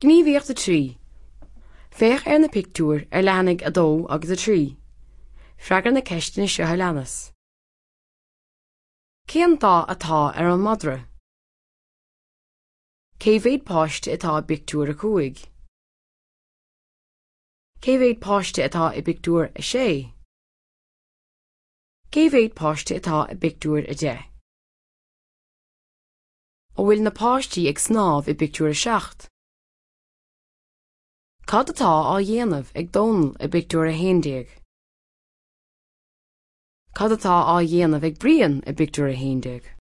Gníomhaíocht 3. Féach ar na pictiúir ar leathanaigh 2 agus 3. Freagair na ceisteanna seo a leanas. Cén dath atá ar an madra? Cé mhéad páiste atá i bpictiúr 5? Cé mhéad páiste atá i bpictiúr 6? Cé mhéad páiste atá i bpictiúr 10? An bhfuil na páistí ag snámh i bpictiúr 7? Cad atá á dhéanamh ag Dónall i bpictiúr 11? Cad atá á dhéanamh ag Brian i bpictiúr 11?